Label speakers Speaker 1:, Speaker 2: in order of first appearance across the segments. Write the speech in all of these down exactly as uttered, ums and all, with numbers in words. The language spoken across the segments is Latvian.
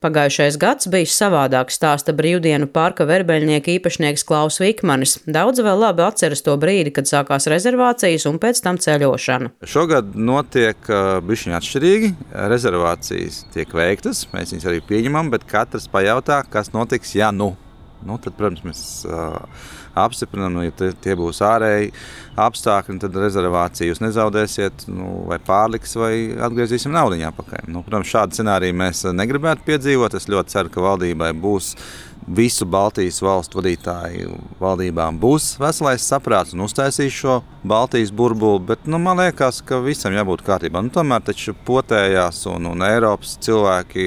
Speaker 1: Pagājušais gads bijis savādāks, stāsta brīvdienu parka verbeļnieka īpašnieks Klaus Vikmanis. Daudzi vēl labi atceras to brīdi, kad sākās rezervācijas un pēc tam ceļošana.
Speaker 2: Šogad notiek bišķiņ atšķirīgi. Rezervācijas tiek veiktas, mēs viņas arī pieņemam, bet katrs pajautā, kas notiks, ja nu. Nu, tad, protams, mēs uh, apstiprinām, nu, ja tie, tie būs ārēji apstākļi, tad rezervāciju jūs nezaudēsiet, nu, vai pārliks, vai atgriezīsim naudiņā pakaļ. Nu, protams, šādu scenāriju mēs negribētu piedzīvot. Es ļoti ceru, ka valdībai būs visu Baltijas valstu vadītāju valdībām būs veselais saprāts un uztaisīs šo Baltijas burbuli, bet nu, man liekas, ka visam jābūt kārtībā. Nu, tomēr taču potējās un, un Eiropas cilvēki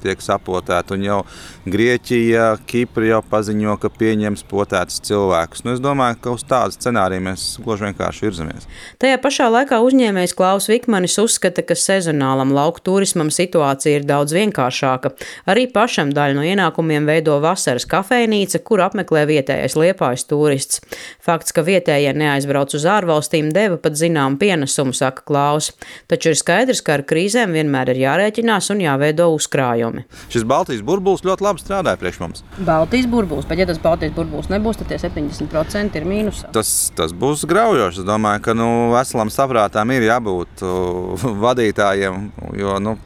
Speaker 2: tiek sapotēti, un jau Grieķija, Kipra jau paziņo, ka pieņems potētus cilvēkus. Nu, es domāju, ka uz tādu scenāriju mēs gluži vienkārši virzamies.
Speaker 1: Tajā pašā laikā uzņēmējs Klaus Vikmanis uzskata, ka sezonālam lauku turismam situācija ir daudz vienkāršāka. Arī pašam daļu no ienākumiem veido vasaras kafejnīca, kur apmeklē vietējais Liepājas turists. Fakts, ka vietējie neaizbrauc uz ārvalstīm, deva pat zinām pienesumu, saka Klaus. Taču ir skaidrs, ka ar krīzēm vienmēr ir jārēķinās un jāveido uzkrājumi.
Speaker 2: Šis Baltijas burbulis ļoti labi strādāja priekš mums.
Speaker 1: Baltijas burbulis, bet ja tas Baltijas burbulis nebūs, tad tie septiņdesmit procenti ir mīnusā.
Speaker 2: Tas, tas būs graujoši. Es domāju, ka nu, veselam saprātām ir jābūt uh, vadītājiem, jo nu,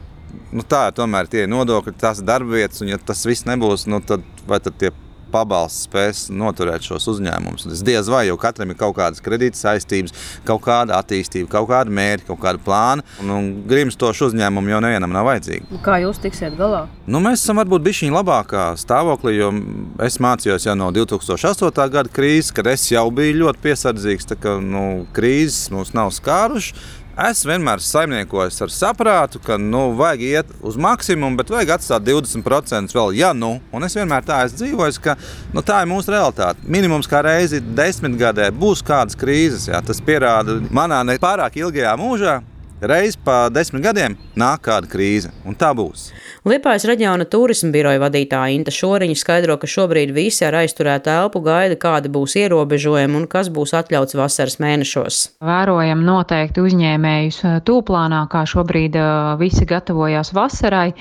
Speaker 2: nu, tā ir tomēr tie nodokļi, tās darbvietas, un ja tas viss nebūs, nu, tad vai tad tie pabalsts spēs noturēt šos uzņēmumus. Es diez vai, jo katram ir kaut kādas kredītas saistības, kaut kāda attīstība, kaut kāda mērķa, kaut kāda plāna, un, un grimstošu uzņēmumu jau nevienam nav vajadzīgi.
Speaker 1: Kā jūs tiksiet galā?
Speaker 2: Nu, mēs esam varbūt bišķiņ labākā stāvoklī, jo es mācījos jau no divi tūkstoši astotā gada krīzes, kad es jau biju ļoti piesardzīgs, tā ka nu, krīzes mūs nav skāruši. Es vienmēr saimniekojos ar saprātu, ka nu, vajag iet uz maksimumu, bet vajag atstāt divdesmit procent vēl, ja nu. Un es vienmēr tā esmu dzīvojis, ka nu, tā ir mūsu realitāte. Minimums kā reizi desmitgadē būs kādas krīzes. Jā. Tas pierāda manā ne pārāk ilgajā mūžā. Reiz pa desmit gadiem nāk kāda krīze, un tā būs.
Speaker 1: Liepājas reģiona turisma biroja vadītāja Inta Šoriņa skaidro, ka šobrīd visi ar aizturētu elpu gaida, kādi būs ierobežojumi un kas būs atļauts vasaras mēnešos.
Speaker 3: Vērojam noteikti uzņēmējus tūplānā, kā šobrīd visi gatavojās vasarai.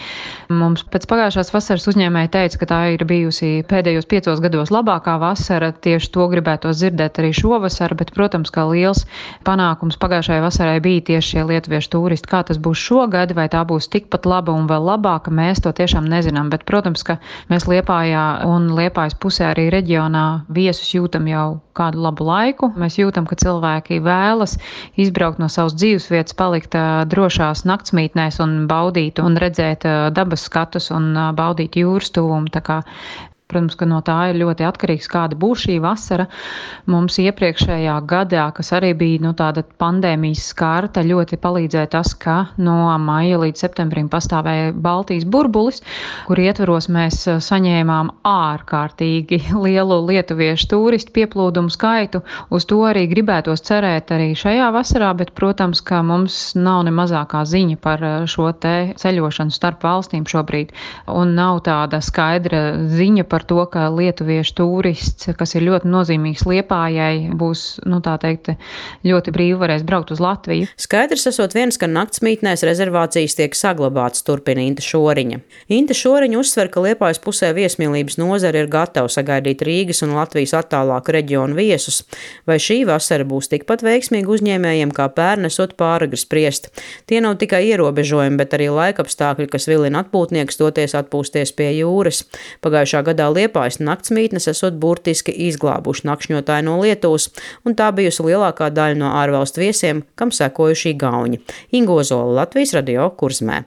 Speaker 3: Mums pēc pagājušās vasaras uzņēmēji teica, ka tā ir bijusi pēdējos piecos gados labākā vasara. Tieši to gribētos dzirdēt arī šovasar, bet, protams, kā liels panākums pagājušajai vasarai bija tieši šie lietuviešu turisti. Kā tas būs šogad, vai tā būs tikpat laba un vēl labāka, mēs to tiešām nezinām. Bet, protams, ka mēs Liepājā un Liepājas pusē arī reģionā viesus jūtam jau kādu labu laiku. Mēs jūtam, ka cilvēki vēlas izbraukt no savas dzīvesvietas, palikt drošās naktsmītnēs un baudīt un redzēt dabas skatus un baudīt jūras tuvumu. Tā kā protams, ka no tā ir ļoti atkarīgs, kāda būs šī vasara. Mums iepriekšējā gadā, kas arī bija nu, tāda pandēmijas skārta, ļoti palīdzēja tas, ka no maija līdz septembrim pastāvēja Baltijas burbulis, kur ietvaros mēs saņēmām ārkārtīgi lielu lietuviešu turistu pieplūdumu skaitu. Uz to arī gribētos cerēt arī šajā vasarā, bet, protams, ka mums nav ne mazākā ziņa par šo te ceļošanu starp valstīm šobrīd. Un nav tāda skaidra ziņa par par to, ka lietuviešu turists, kas ir ļoti nozīmīgs Liepājai, būs, nu tā teikt, ļoti brīvi varēs braukt uz Latviju.
Speaker 1: Skaidrs esot viens, ka naktsmītnēs rezervācijas tiek saglabātas, turpina Inta Šoriņa. Inta Šoriņa uzsver, ka Liepājas pusē viesmīlības nozare ir gatava sagaidīt Rīgas un Latvijas attālāku reģionu viesus. Vai šī vasara būs tikpat veiksmīga uzņēmējiem, kā pērn esot pāragri spriest? Tie nav tikai ierobežojumi, bet arī laikapstākļi, kas vilina atpūtniekus doties atpūsties pie jūras. Pagājušā gadā Liepājas naktsmītnes esot burtiski izglābuši nakšņotāji no Lietuvas, un tā bijusi lielākā daļa no ārvalstu viesiem, kam sekojušī gauņi. Inga Ozola, Latvijas radio, Kurzmē.